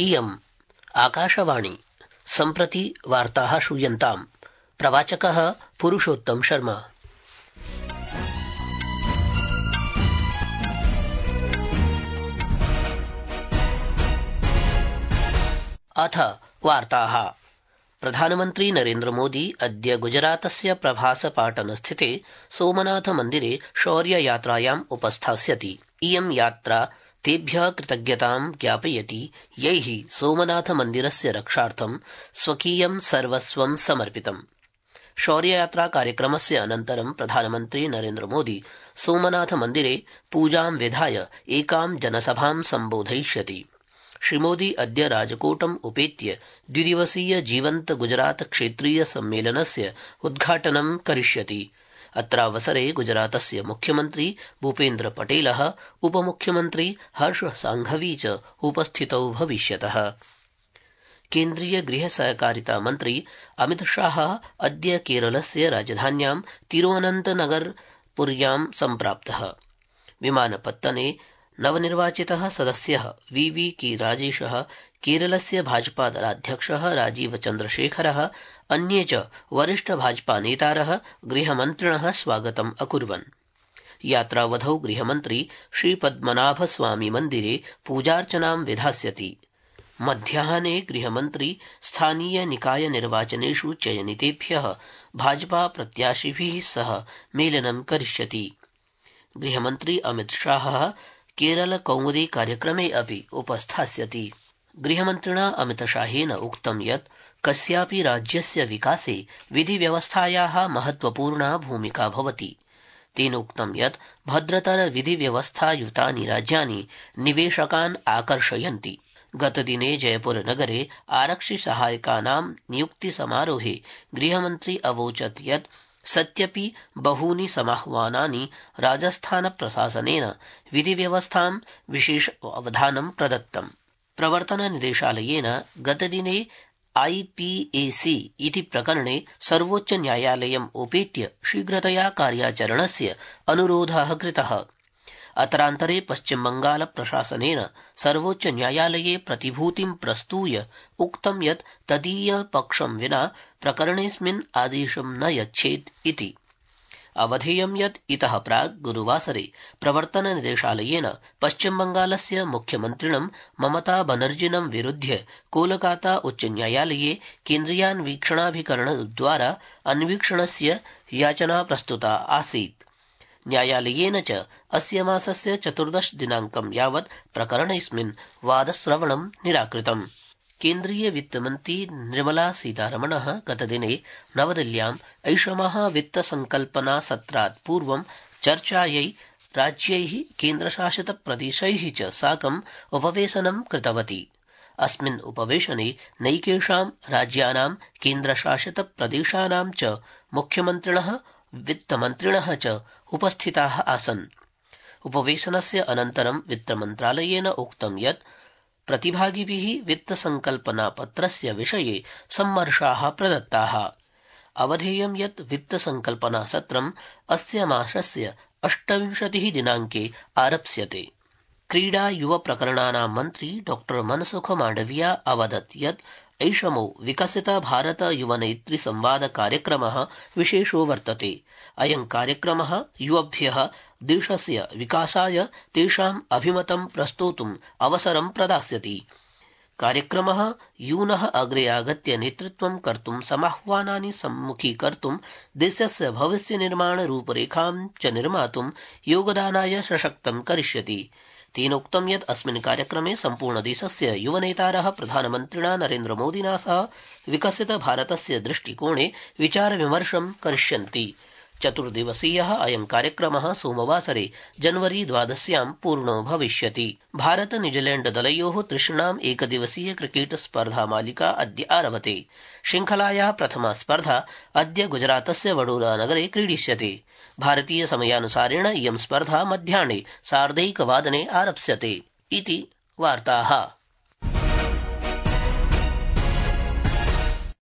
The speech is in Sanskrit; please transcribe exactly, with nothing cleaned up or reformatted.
इयम् आकाशवाणी सम्प्रति वार्ताः श्रूयन्ताम्। प्रवाचकः पुरुषोत्तम शर्मा। अथ वार्ताः। प्रधानमन्त्री नरेन्द्र मोदी अद्य गुजरातस्य प्रभास पाटन स्थिते सोमनाथ मन्दिरे शौर्ययात्रायाम् उपस्थास्यति। इयं यात्रा तेभ्यः कृतज्ञतां ज्ञापयति यैः सोमनाथ मन्दिरस्य रक्षार्थं स्वकीयं सर्वस्वं समर्पितम्। शौर्ययात्रा कार्यक्रमस्य अनन्तरं प्रधानमन्त्री नरेन्द्र मोदी सोमनाथ मन्दिरे पूजां विधाय एकां जनसभां सम्बोधयिष्यति। श्रीमोदी अद्य राजकोटम् उपेत्य द्विदिवसीय जीवन्त गुजरात क्षेत्रीय सम्मेलनस्य उद्घाटनं करिष्यति। अत्रावसरे गुजरातस्य मुख्यमन्त्री भूपेन्द्र पटेलः, उपमुख्यमन्त्री हर्ष सांघवी च उपस्थितौ भविष्यतः। केन्द्रीय गृह सहकारिता मन्त्री अमित शाहः अद्य केरलस्य राजधान्यां तिरुवनन्तपुर्यां सम्प्राप्तः। विमानपत्तने नवनिर्वाचितः सदस्यः वी वी के राजेशः, केरलस्य भाजपा दलाध्यक्षः राजीव चन्द्रशेखरः, अन्ये च वरिष्ठ भाजपा नेतारः गृहमन्त्रिणः स्वागतम् अकुर्वन्। यात्रावधौ गृहमन्त्री श्रीपद्मनाभ स्वामी मन्दिरे पूजार्चनां विधास्यति। मध्याह्ने गृहमन्त्री स्थानीय निकाय निर्वाचनेषु चयनितेभ्यः भाजपा प्रत्याशिभिः सह मेलनं करिष्यति। गृहमन्त्री अमित शाहः केरल कौमुदी कार्यक्रमे अपि उपस्थास्यति। गृहमन्त्रिणा अमितशाहेन उक्तं यत् कस्यापि राज्यस्य विकासे विधिव्यवस्थायाः महत्वपूर्णा भूमिका भवति। तेनोक्तं यत् भद्रतर विधिव्यवस्थायुतानि राज्यानि निवेशकान् आकर्षयन्ति। गतदिने जयपुरनगरे आरक्षिसहायकानां नियुक्तिसमारोहे गृहमन्त्री अवोचत् यत् सत्यपि बहूनि समाह्वानानि राजस्थानप्रशासनेन विधिव्यवस्थां विशेष अवधानं प्रदत्तम्। प्रवर्तननिदेशालयेन गतदिने आई पी ए सी इति प्रकरणे सर्वोच्चन्यायालयम् उपेत्य शीघ्रतया कार्याचरणस्य अनुरोधः कृतः। अत्रान्तरे पश्चिमबंगाल प्रशासनेन सर्वोच्चन्यायालये प्रतिभूतिं प्रस्तूय उक्तं यत् तदीयपक्षं विना प्रकरणेऽस्मिन् आदेशं न यच्छेत् इति। अवधेयं यत् इतः प्राक् गुरुवासरे प्रवर्तननिदेशालयेन पश्चिमबंगालस्य मुख्यमन्त्रिणं ममता बनर्जिनं विरुध्य कोलकाता उच्चन्यायालये केन्द्रीयान्वीक्षणाभिकरणद्वारा अन्वीक्षणस्य याचना प्रस्तुता आसीत्। न्यायालयेन च अस्य मासस्य चतुर्दश दिनांकं यावत् प्रकरणेऽस्मिन् वादश्रवणं निराकृतम्। केन्द्रीय वित्तमन्त्री निर्मला सीतारमणः गतदिने नवदिल्ल्याम् ऐषमः वित्तसंकल्पना सत्रात् पूर्वं चर्चायै राज्यैः केन्द्रशासितप्रदेशैः च साकम् उपवेशनं कृतवती। अस्मिन् उपवेशने नैकेषां राज्यानां केन्द्रशासितप्रदेशानां च मुख्यमन्त्रिणः वित्तमन्त्रिणः च उपस्थिताः आसन्। उपवेशनस्य अनन्तरं वित्तमन्त्रालयेन उक्तं यत् प्रतिभागिभिः वित्तसंकल्पनापत्रस्य विषये सम्मर्शाः प्रदत्ताः। अवधेयं यत् वित्तसंकल्पनासत्रम् अस्य मासस्य अष्टविंशतिः दिनांके आरप्स्यते। क्रीडा युव प्रकरणानां मन्त्री डॉ मनसुख मांडविया अवदत् यत् ऐषमो विकसित भारत युवनेत्री संवाद कार्यक्रमः विशेषो वर्तते। अयं कार्यक्रमः युवभ्यः देशस्य विकासाय तेषाम् अभिमतं प्रस्तोतुम् अवसरं प्रदास्यति। कार्यक्रमः यूनः अग्रे आगत्य नेतृत्वं कर्तुं समाह्वानानि सम्मुखीकर्तुं देशस्य भविष्यनिर्माण रूपरेखां च निर्मातुं योगदानाय सशक्तं करिष्यति। तेनोक्तं यत् अस्मिन् कार्यक्रमे सम्पूर्णदेशस्य युवनेतारः प्रधानमन्त्रिणा नरेन्द्र मोदिना सह विकसित भारतस्य दृष्टिकोणे विचारविमर्शं करिष्यन्ति। चतुर्दिवसीयः अयं कार्यक्रमः सोमवासरे जनवरी द्वादश्यां पूर्णो भविष्यति। भारत न्यूजीलैण्ड दलयोः तृष्णाम् एकदिवसीय क्रिकेट स्पर्धा मालिका अद्य आरभते। श्रृंखलायाः प्रथमा स्पर्धा अद्य गुजरातस्य वडोदरा नगरे क्रीडिष्यते। भारतीय समयानुसारेण इयं स्पर्धा मध्याह्ने सार्धैकवादने आरप्स्यते इति वार्ताः।